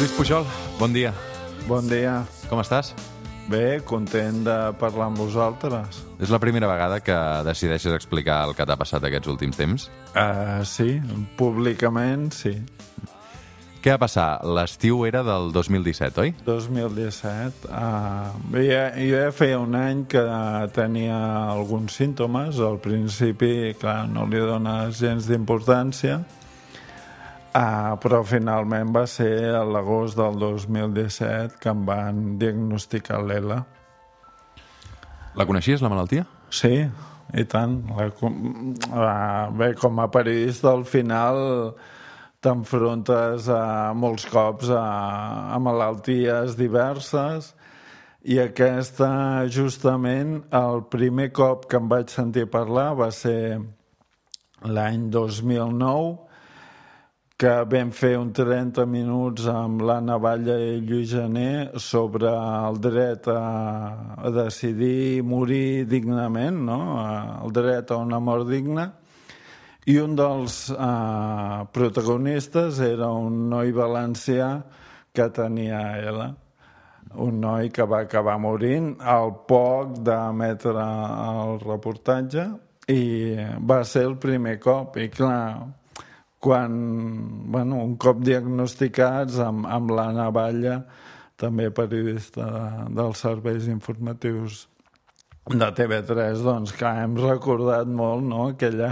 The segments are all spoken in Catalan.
Lluís Pujol, bon dia. Bon dia. Com estàs? Bé, content de parlar amb vosaltres. És la primera vegada que decideixes explicar el que t'ha passat aquests últims temps? Sí, públicament sí. Què va passar? L'estiu era del 2017, oi? 2017. Bé, jo ja feia un any que tenia alguns símptomes. Al principi, clar, no li dones gens d'importància, però finalment va ser a l'agost del 2017 que em van diagnosticar l'ELA. La coneixies, la malaltia? Sí, i tant. Bé, com a periodista, al final t'enfrontes molts cops a malalties diverses, i aquesta, justament, el primer cop que em vaig sentir parlar va ser l'any 2009, que vam fer un 30 minuts amb l'Anna Batlle i Lluís Gené sobre el dret a decidir morir dignament, no? El dret a una mort digna. I un dels protagonistes era un noi valencià que tenia ELA. Un noi que va acabar morint al poc d'emetre el reportatge, i va ser el primer cop. I clar, quan, un cop diagnosticats amb l'Anna Batlle, també periodista dels serveis informatius de TV3, doncs clar, hem recordat molt, no?, aquella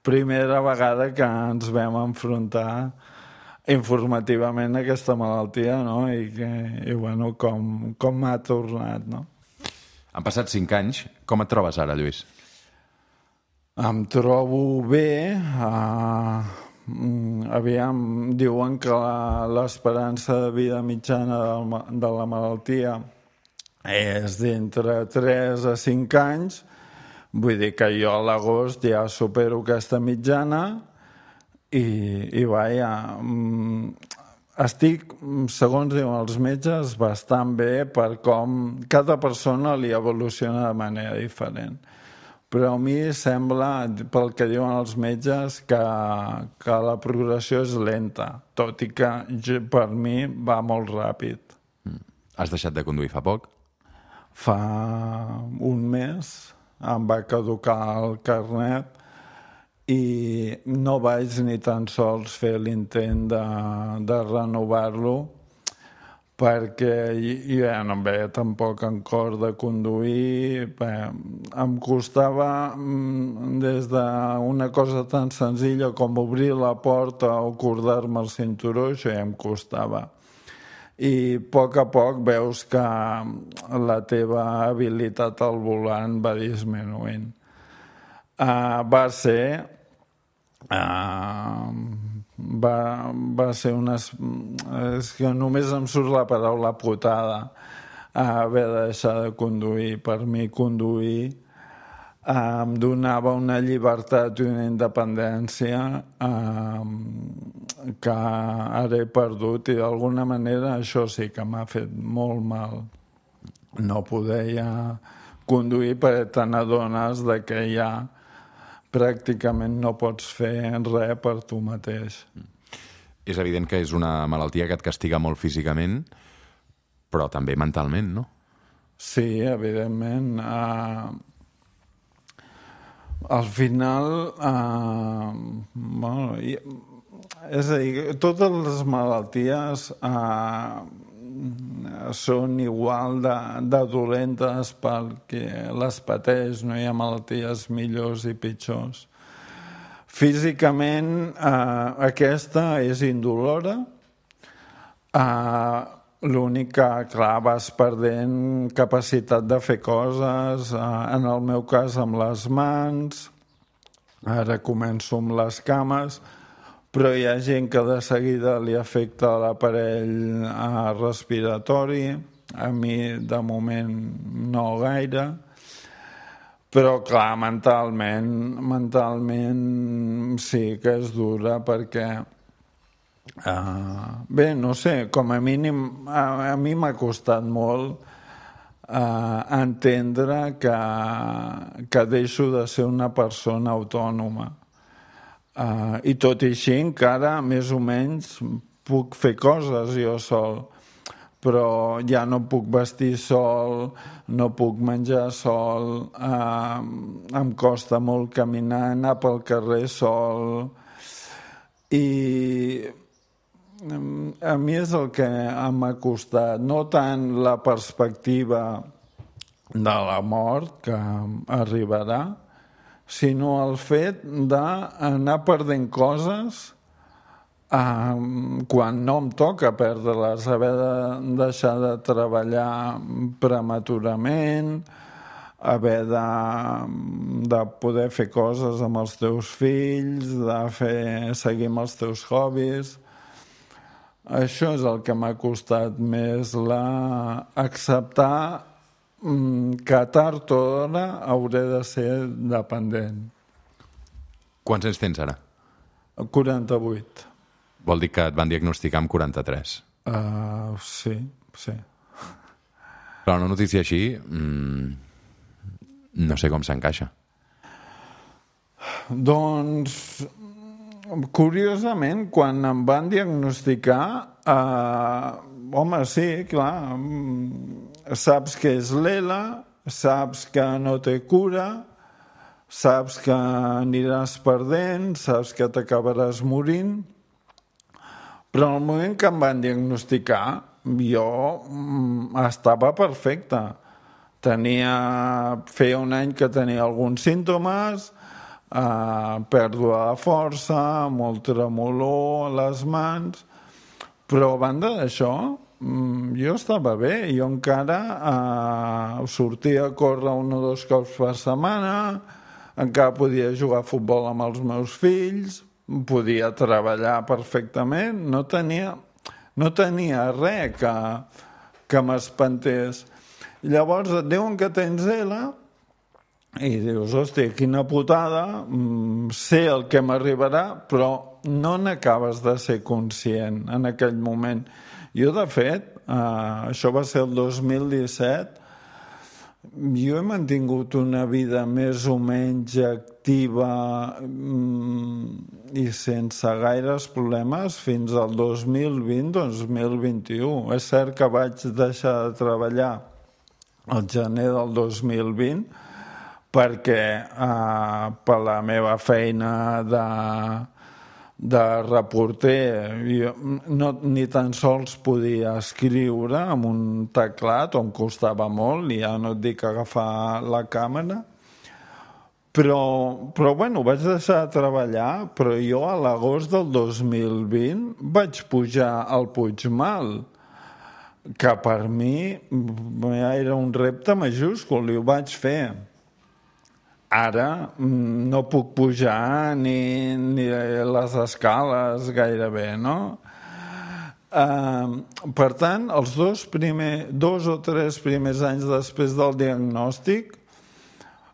primera vegada que ens vam enfrontar informativament a aquesta malaltia, no?, i bueno, com m'ha tornat, no? Han passat 5 anys. Com et trobes ara, Lluís? Em trobo bé. Aviam, diuen que l'esperança de vida mitjana de la malaltia és d'entre 3 a 5 anys. Vull dir que jo a l'agost ja supero aquesta mitjana i vaja, estic, segons diuen els metges, bastant bé, per com cada persona li evoluciona de manera diferent. Però a mi sembla, pel que diuen els metges, que la progressió és lenta, tot i que per mi va molt ràpid. Has deixat de conduir fa poc? Fa un mes em va caducar el carnet i no vaig ni tan sols fer l'intent de renovar-lo, perquè jo ja no em veia tampoc en cor de conduir. Em costava, des d'una cosa tan senzilla com obrir la porta o cordar-me el cinturó, això ja em costava. I a poc veus que la teva habilitat al volant va disminuint. Va ser és que només em surt la paraula putada, haver de deixar de conduir. Per mi conduir em donava una llibertat i una independència que ara he perdut, i d'alguna manera això sí que m'ha fet molt mal. No poder ja conduir, perquè te n'adones que ja pràcticament no pots fer res per tu mateix. És evident que és una malaltia que et castiga molt físicament, però també mentalment, no? Sí, evidentment. Al final, és a dir, totes les malalties són igual de dolentes perquè les pateix, no hi ha malalties millors i pitjors. Físicament, aquesta és indolora. L'únic que, clar, vas perdent capacitat de fer coses, en el meu cas amb les mans, ara començo amb les cames, però hi ha gent que de seguida li afecta l'aparell respiratori. A mi, de moment, no gaire. Però, clar, mentalment sí que és dura, perquè bé, no sé, com a mínim a mi m'ha costat molt entendre que deixo de ser una persona autònoma. I tot i així encara més o menys puc fer coses jo sol, però ja no puc vestir sol, no puc menjar sol, em costa molt caminar, anar pel carrer sol, i a mi és el que m'ha costat, no tant la perspectiva de la mort que arribarà, sinó el fet d'anar perdent coses quan no em toca perdre-les, haver de deixar de treballar prematurament, haver de poder fer coses amb els teus fills, de seguir amb els teus hobbies. Això és el que m'ha costat més, acceptar que tard o d'hora hauré de ser dependent. Quants anys tens ara? 48. Vol dir que et van diagnosticar amb 43. Sí. Però una notícia així no sé com s'encaixa. Doncs, curiosament, quan em van diagnosticar, home, sí, clar, saps que és l'ELA, saps que no té cura, saps que aniràs perdent, saps que t'acabaràs morint, però en el moment que em van diagnosticar jo estava perfecte. Feia un any que tenia alguns símptomes, pèrdua de força, molt tremolor a les mans, però a banda d'això jo estava bé, jo encara sortia a córrer 1 o 2 cops per setmana, encara podia jugar a futbol amb els meus fills, podia treballar perfectament, no tenia res que m'espantés. Llavors et diuen que tens ELA i dius, hòstia, quina putada, sé el que m'arribarà, però no n'acabes de ser conscient en aquell moment. Jo, de fet, això va ser el 2017, jo he mantingut una vida més o menys activa i sense gaires problemes fins al 2020-2021. És cert que vaig deixar de treballar al gener del 2020 perquè per la meva feina de reporter jo ni tan sols podia escriure amb un teclat, on costava molt, i ja no et dic agafar la càmera, però bueno, vaig deixar de treballar, però jo a l'agost del 2020 vaig pujar al Puigmal, que per mi era un repte majúscul i ho vaig fer. Ara no puc pujar ni les escales gairebé, no? Per tant, els 2 o 3 primers anys després del diagnòstic,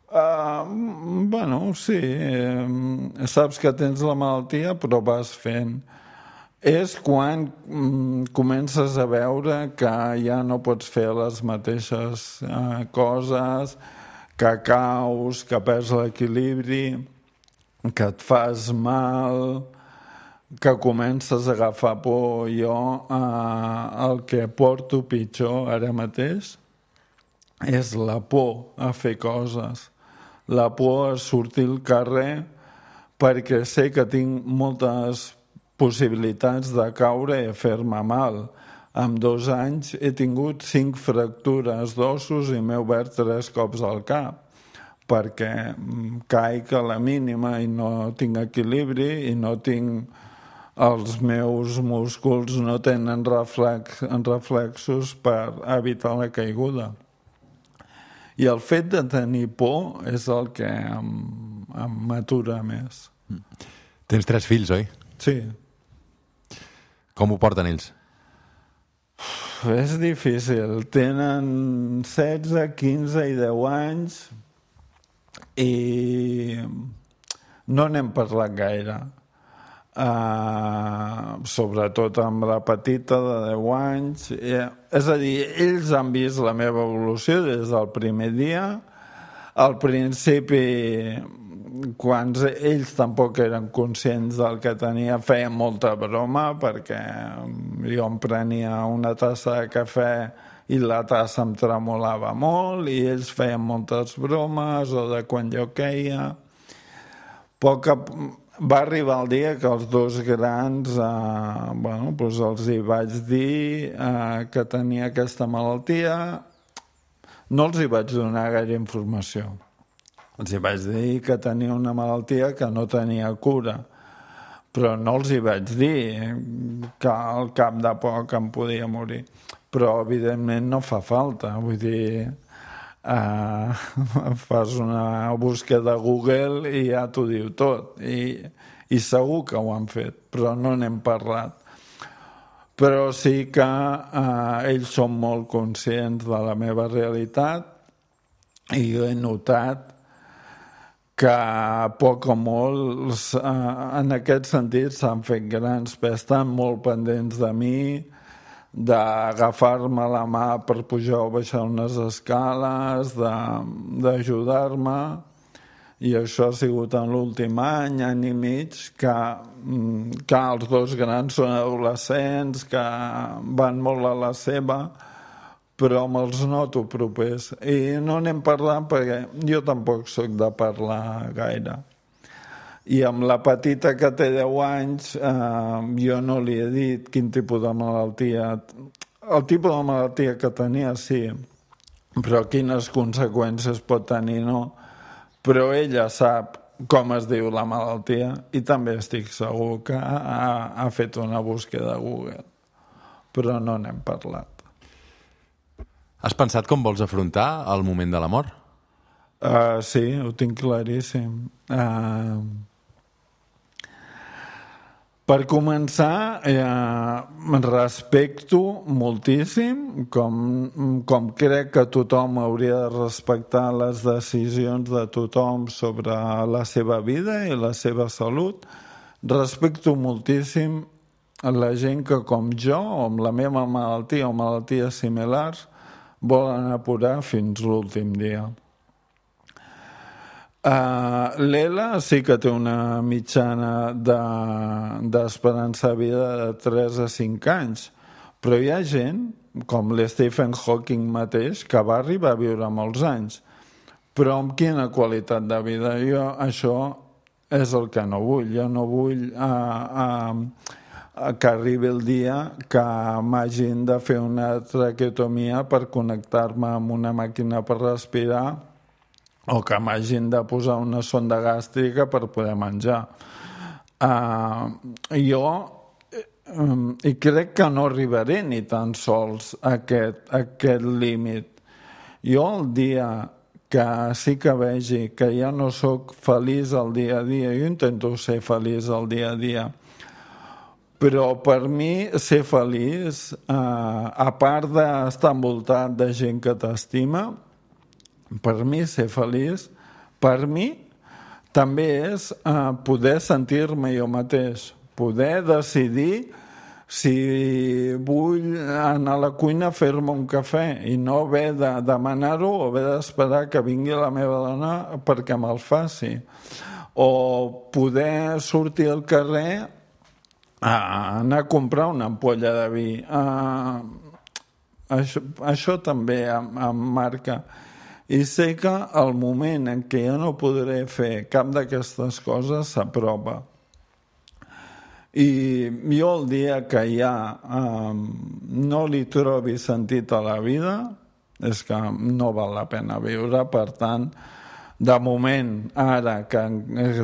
bueno, sí, saps que tens la malaltia, però vas fent. És quan comences a veure que ja no pots fer les mateixes coses, que caus, que perds l'equilibri, que et fas mal, que comences a agafar por. Jo el que porto pitjor ara mateix és la por a fer coses, la por a sortir al carrer, perquè sé que tinc moltes possibilitats de caure i fer-me mal. En 2 anys he tingut 5 fractures d'ossos i m'he obert 3 cops al cap, perquè caic a la mínima i no tinc equilibri i no tinc... Els meus músculs no tenen reflexos per evitar la caiguda. I el fet de tenir por és el que m'atura més. Tens 3 fills, oi? Sí. Com ho porten ells? És difícil. Tenen 16, 15 i 10 anys i no n'hem parlat gaire. Sobretot amb la petita de 10 anys. És a dir, ells han vist la meva evolució des del primer dia. Al principi quan ells tampoc eren conscients del que tenia, feien molta broma, perquè jo em prenia una tassa de cafè i la tassa em tremolava molt, i ells feien moltes bromes, o de quan jo queia. Va arribar el dia que els dos grans, doncs els hi vaig dir que tenia aquesta malaltia. No els hi vaig donar gaire informació. Els hi vaig dir que tenia una malaltia que no tenia cura, però no els hi vaig dir que al cap de poc em podia morir. Però, evidentment, no fa falta. Vull dir, fas una búsqueda a Google i ja t'ho diu tot. I segur que ho han fet, però no n'hem parlat. Però sí que ells són molt conscients de la meva realitat, i jo he notat que a poc o molt en aquest sentit s'han fet grans, però estan molt pendents de mi, d'agafar-me la mà per pujar o baixar unes escales, d'ajudar-me, i això ha sigut en l'últim any i mig, que els dos grans són adolescents, que van molt a la seva, però me'ls noto propers. I no n'hem parlat perquè jo tampoc sóc de parlar gaire. I amb la petita que té 10 anys, jo no li he dit quin tipus de malaltia. El tipus de malaltia que tenia, sí, però quines conseqüències pot tenir, no. Però ella sap com es diu la malaltia i també estic segur que ha fet una búsqueda a Google. Però no n'hem parlat. Has pensat com vols afrontar el moment de la mort? Sí, ho tinc claríssim. Per començar, respecto moltíssim, com crec que tothom hauria de respectar les decisions de tothom sobre la seva vida i la seva salut. Respecto moltíssim la gent que, com jo, o amb la meva malaltia o malalties similars, volen apurar fins l'últim dia. L'Ela sí que té una mitjana d'esperança de vida de 3 a 5 anys, però hi ha gent, com l'Stephen Hawking mateix, que va arribar a viure molts anys. Però amb quina qualitat de vida? Jo això és el que no vull. Jo no vull que arribi el dia que m'hagin de fer una traqueotomia per connectar-me amb una màquina per respirar, o que m'hagin de posar una sonda gàstrica per poder menjar. I crec que no arribaré ni tan sols a aquest límit. Jo el dia que sí que vegi que ja no sóc feliç al dia a dia, jo intento ser feliç al dia a dia, però per mi ser feliç, a part d'estar envoltat de gent que t'estima, per mi ser feliç, per mi també és poder sentir-me jo mateix, poder decidir si vull anar a la cuina a fer-me un cafè i no haver de demanar-ho o haver d'esperar que vingui la meva dona perquè me'l faci, o poder sortir al carrer a anar a comprar una ampolla de vi. Això també em marca. I sé que el moment en què jo no podré fer cap d'aquestes coses s'apropa. I jo el dia que ja no li trobi sentit a la vida és que no val la pena viure. Per tant, de moment, ara que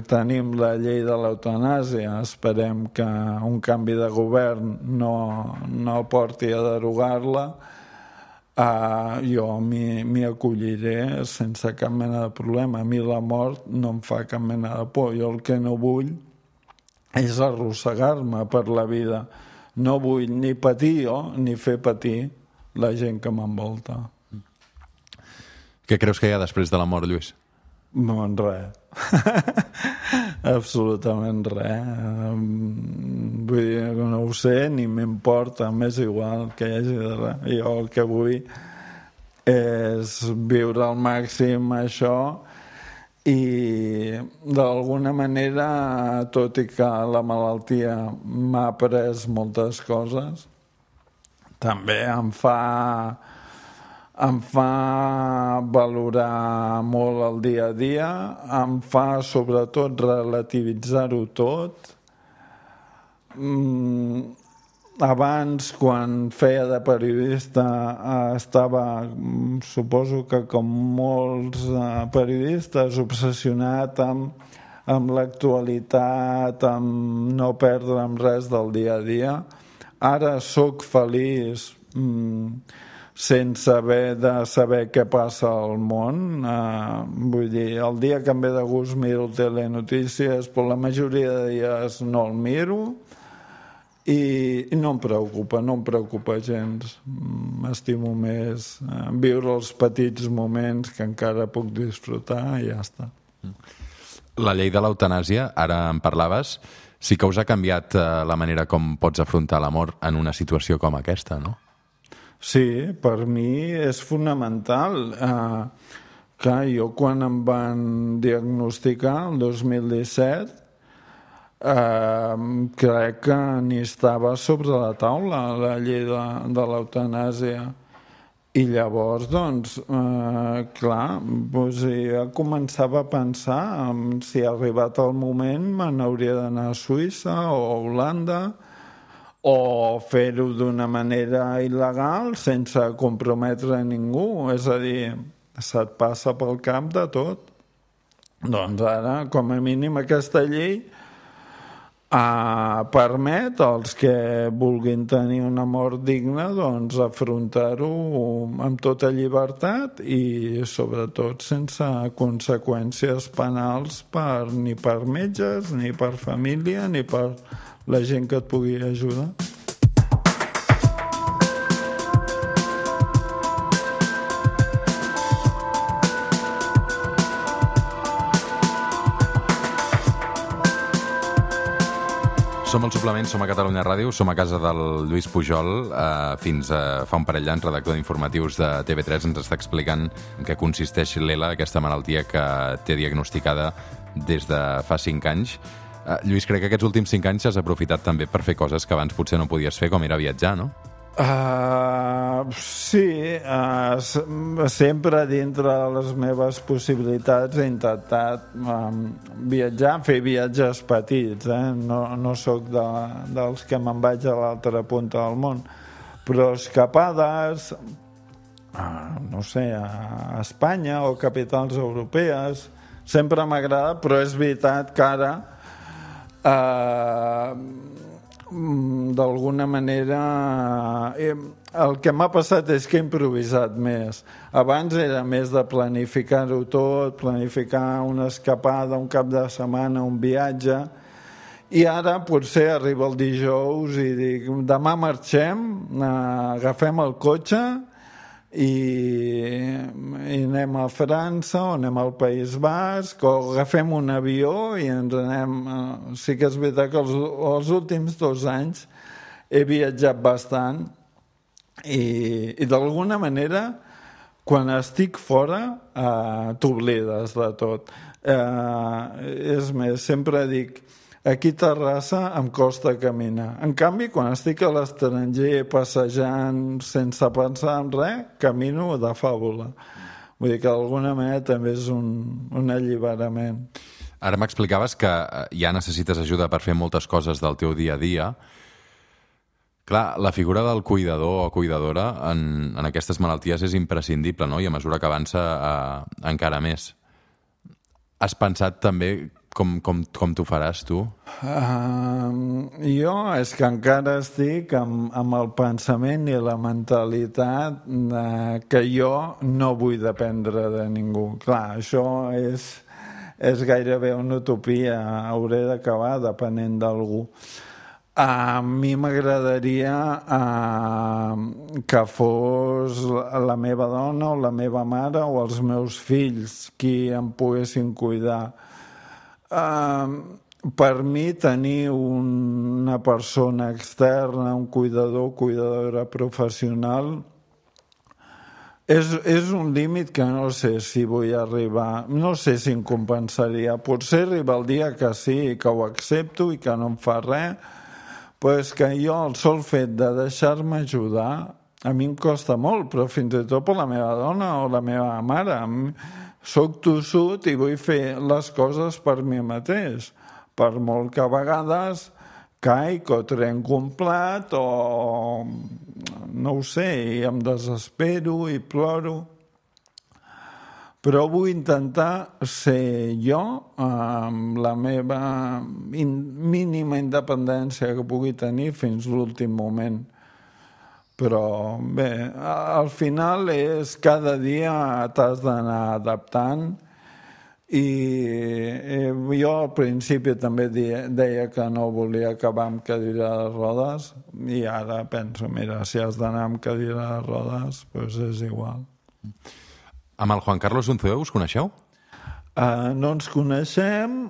tenim la llei de l'eutanàsia, esperem que un canvi de govern no porti a derogar-la. Jo m'hi acolliré sense cap mena de problema. A mi la mort no em fa cap mena de por. Jo el que no vull és arrossegar-me per la vida. No vull ni patir jo ni fer patir la gent que m'envolta. Què creus que hi ha després de la mort, Lluís? Bon, res. Absolutament res. Vull dir que no ho sé, ni m'importa, m'és igual que hi hagi de res. Jo el que vull és viure al màxim això i d'alguna manera, tot i que la malaltia m'ha après moltes coses, també em fa valorar molt el dia a dia, em fa sobretot relativitzar-ho tot. Abans, quan feia de periodista, estava, suposo que com molts periodistes, obsessionat amb l'actualitat, amb no perdre'm res del dia a dia. Ara sóc feliç sense haver de saber què passa al món. Vull dir, el dia que em ve de gust miro telenotícies, però la majoria de dies no el miro, i no em preocupa gens. M'estimo més viure els petits moments que encara puc disfrutar i ja està. La llei de l'eutanàsia, ara en parlaves, sí que us ha canviat la manera com pots afrontar la mort en una situació com aquesta, no? Sí, per mi és fonamental. Clar, jo quan em van diagnosticar el 2017, crec que ni estava sobre la taula la llei de l'eutanàsia. I llavors, doncs, clar, ja començava a pensar si ha arribat el moment me n'hauria d'anar a Suïssa o a Holanda, o fer-ho d'una manera il·legal sense comprometre ningú. És a dir, se't passa pel cap de tot. Doncs ara, com a mínim, aquesta llei permet als que vulguin tenir una mort digna doncs afrontar-ho amb tota llibertat i sobretot sense conseqüències penals ni per metges, ni per família, ni per la gent que et pugui ajudar. Som al Suplement, som a Catalunya Ràdio, som a casa del Lluís Pujol. Fins fa un parell d'anys, redactor d'informatius de TV3, ens està explicant en què consisteix l'ELA, aquesta malaltia que té diagnosticada des de fa 5 anys. Lluís, crec que aquests últims 5 anys has aprofitat també per fer coses que abans potser no podies fer, com era viatjar, no? Sí, sempre dintre de les meves possibilitats he intentat viatjar, fer viatges petits, no sóc dels que me'n vaig a l'altra punta del món, però escapades, no sé, a Espanya o capitals europees, sempre m'agrada, però és veritat que ara d'alguna manera el que m'ha passat és que he improvisat més. Abans era més de planificar-ho tot, planificar una escapada, un cap de setmana, un viatge, i ara potser arriba el dijous i dic, demà marxem, agafem el cotxe i anem a França o anem al País Basc o agafem un avió i ens anem. Sí que és veritat que els últims 2 anys he viatjat bastant i d'alguna manera quan estic fora t'oblides de tot. És més, sempre dic, aquí a Terrassa em costa caminar. En canvi, quan estic a l'estranger passejant sense pensar en res, camino de fàbula. Vull dir que d'alguna manera també és un alliberament. Ara m'explicaves que ja necessites ajuda per fer moltes coses del teu dia a dia. Clar, la figura del cuidador o cuidadora en aquestes malalties és imprescindible, no? I a mesura que avança encara més. Has pensat també com t'ho faràs, tu? Jo és que encara estic amb el pensament i la mentalitat que jo no vull dependre de ningú. Clar, això és gairebé una utopia, hauré d'acabar depenent d'algú. A mi m'agradaria que fos la meva dona o la meva mare o els meus fills qui em poguessin cuidar. Per mi tenir una persona externa, un cuidador, cuidadora professional És un límit que no sé si vull arribar, no sé si em compensaria. Potser arriba el dia que sí, que ho accepto i que no em fa res, però és que jo el sol fet de deixar-me ajudar a mi em costa molt, però fins i tot per la meva dona o la meva mare. Soc tossut i vull fer les coses per mi mateix, per molt que a vegades caic o trenco un plat o no ho sé, i em desespero i ploro. Però vull intentar ser jo amb la meva mínima independència que pugui tenir fins l'últim moment. Però bé, al final és cada dia t'has d'anar adaptant i jo al principi també deia que no volia acabar amb cadira de rodes i ara penso, mira, si has d'anar amb cadira de rodes, doncs és igual. Amb el Juan Carlos Unzué us coneixeu? No ens coneixem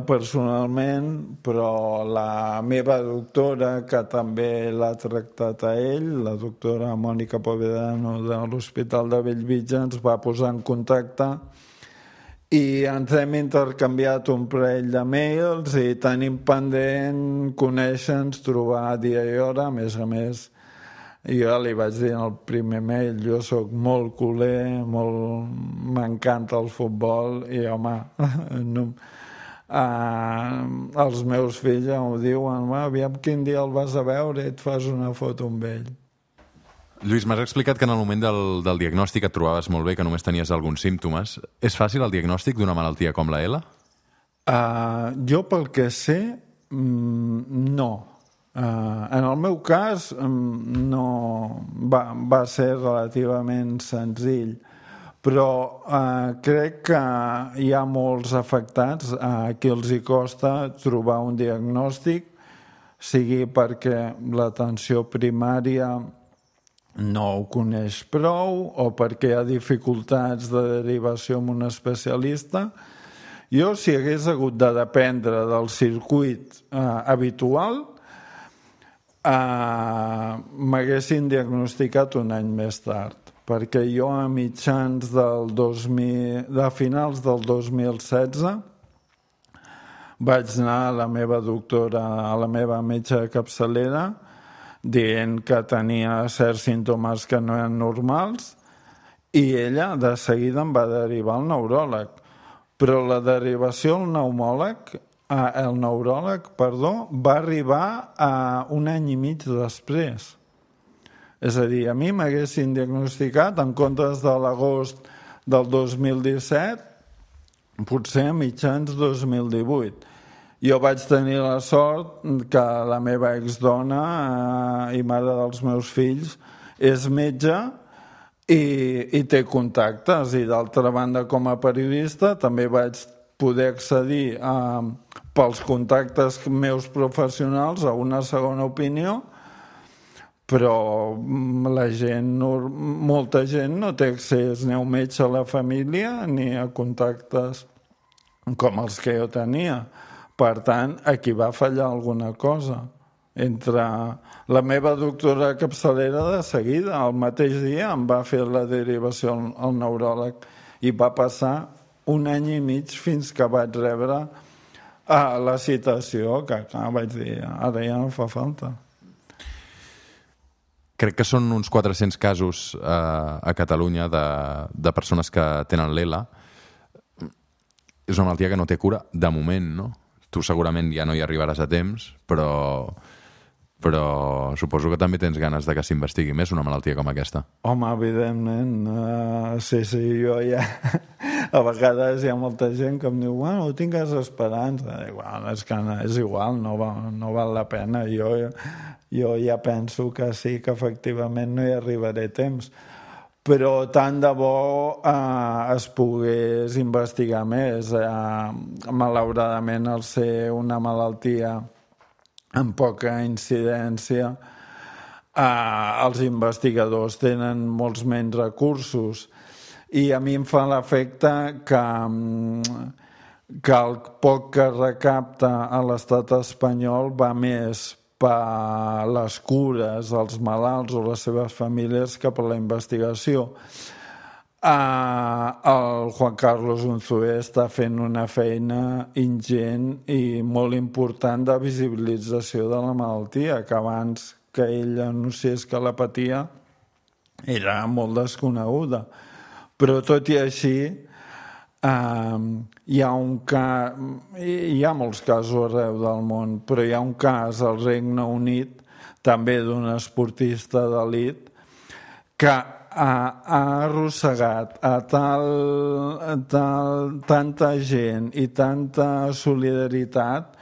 personalment, però la meva doctora, que també l'ha tractat a ell, la doctora Mònica Povedano de l'Hospital de Bellvitge, ens va posar en contacte i ens hem intercanviat un parell de mails i tenim pendent conèixer-nos, trobar dia i hora. A més, jo li vaig dir en el primer mail, jo sóc molt culer, m'encanta el futbol i, home, els meus fills ja m'ho diuen, aviam quin dia el vas a veure i et fas una foto amb ell. Lluís, m'has explicat que en el moment del diagnòstic et trobaves molt bé, que només tenies alguns símptomes. És fàcil el diagnòstic d'una malaltia com la ELA? Jo, pel que sé, no. En el meu cas, no va ser relativament senzill, però crec que hi ha molts afectats a qui els hi costa trobar un diagnòstic, sigui perquè l'atenció primària no ho coneix prou o perquè hi ha dificultats de derivació amb un especialista. Jo, si hagués hagut de dependre del circuit habitual, m'haguessin diagnosticat un any més tard, perquè jo a mitjans de finals del 2016 vaig anar a la meva doctora, a la meva metge de capçalera, dient que tenia certs símptomes que no eren normals i ella de seguida em va derivar al neuròleg. Però la derivació al neuròleg, va arribar a un any i mig després. És a dir, a mi m'haguessin diagnosticat en comptes de l'agost del 2017, potser a mitjans 2018. Jo vaig tenir la sort que la meva exdona i mare dels meus fills és metge i té contactes, i d'altra banda com a periodista també vaig poder accedir pels contactes meus professionals a una segona opinió, però molta gent no té accés ni a un metge a la família ni a contactes com els que jo tenia. Per tant, aquí va fallar alguna cosa. Entre la meva doctora capçalera de seguida, el mateix dia em va fer la derivació al neuròleg i va passar un any i mig fins que vaig rebre la citació, que vaig dir, ara ja no fa falta. Crec que són uns 400 casos a Catalunya de persones que tenen l'ELA. És una malaltia que no té cura de moment, no? Tu segurament ja no hi arribaràs a temps, però suposo que també tens ganes de que s'investigui més una malaltia com aquesta. Home, evidentment. Sí, jo ja... A vegades hi ha molta gent que em diu, bueno, tingues esperança. És que és igual, no val la pena. Jo ja penso que sí, que efectivament no hi arribaré a temps. Però tant de bo es pogués investigar més. Malauradament, al ser una malaltia amb poca incidència, els investigadors tenen molts menys recursos. I a mi em fa l'efecte que el poc que recapta a l'estat espanyol va més per les cures, els malalts o les seves famílies que per la investigació. El Juan Carlos Unzué està fent una feina ingent i molt important de visibilització de la malaltia, que abans que ell anunciés que la patia era molt desconeguda. Però tot i així hi ha molts casos arreu del món, però hi ha un cas al Regne Unit, també d'un esportista d'elit, que ha arrossegat a tanta gent i tanta solidaritat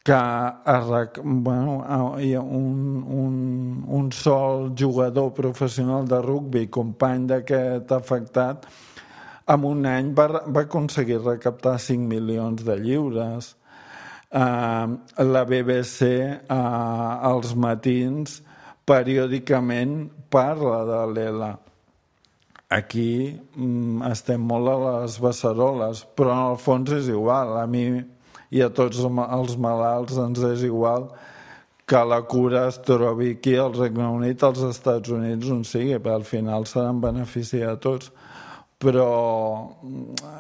que hi ha un sol jugador professional de rugbi, company d'aquest afectat, en un any va aconseguir recaptar 5 milions de lliures. La BBC als matins periòdicament parla de l'ELA. Aquí estem molt a les beceroles, però en el fons és igual. A mi i a tots els malalts ens és igual que la cura es trobi aquí al Regne Unit, als Estats Units, on sigui, perquè al final serà en benefici de tots. Però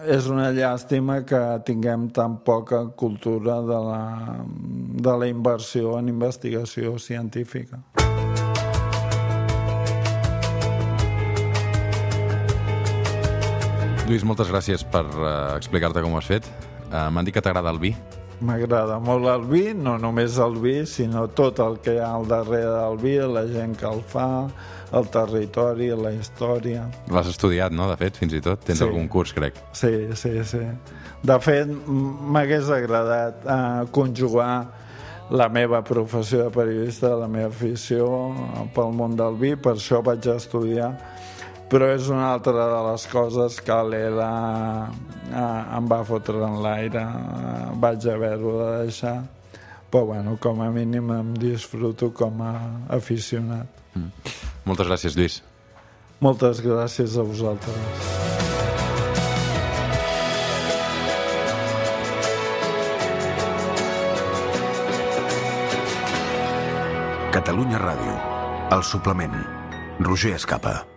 és una llàstima que tinguem tan poca cultura de la inversió en investigació científica. Lluís, moltes gràcies per explicar-te com ho has fet. M'han dit que t'agrada el vi. M'agrada molt el vi, no només el vi, sinó tot el que hi ha al darrere del vi, la gent que el fa, el territori, la història. L'has estudiat, no?, de fet, fins i tot? Tens algun curs, crec. Sí. De fet, m'hagués agradat conjugar la meva professió de periodista, la meva afició pel món del vi, per això vaig estudiar. Però és una altra de les coses que l'ELA em va fotre en l'aire. Vaig haver-ho de deixar. Però, bueno, com a mínim em disfruto com a aficionat. Moltes gràcies, Lluís. Moltes gràcies a vosaltres. Catalunya Ràdio. El suplement. Roger Escapa.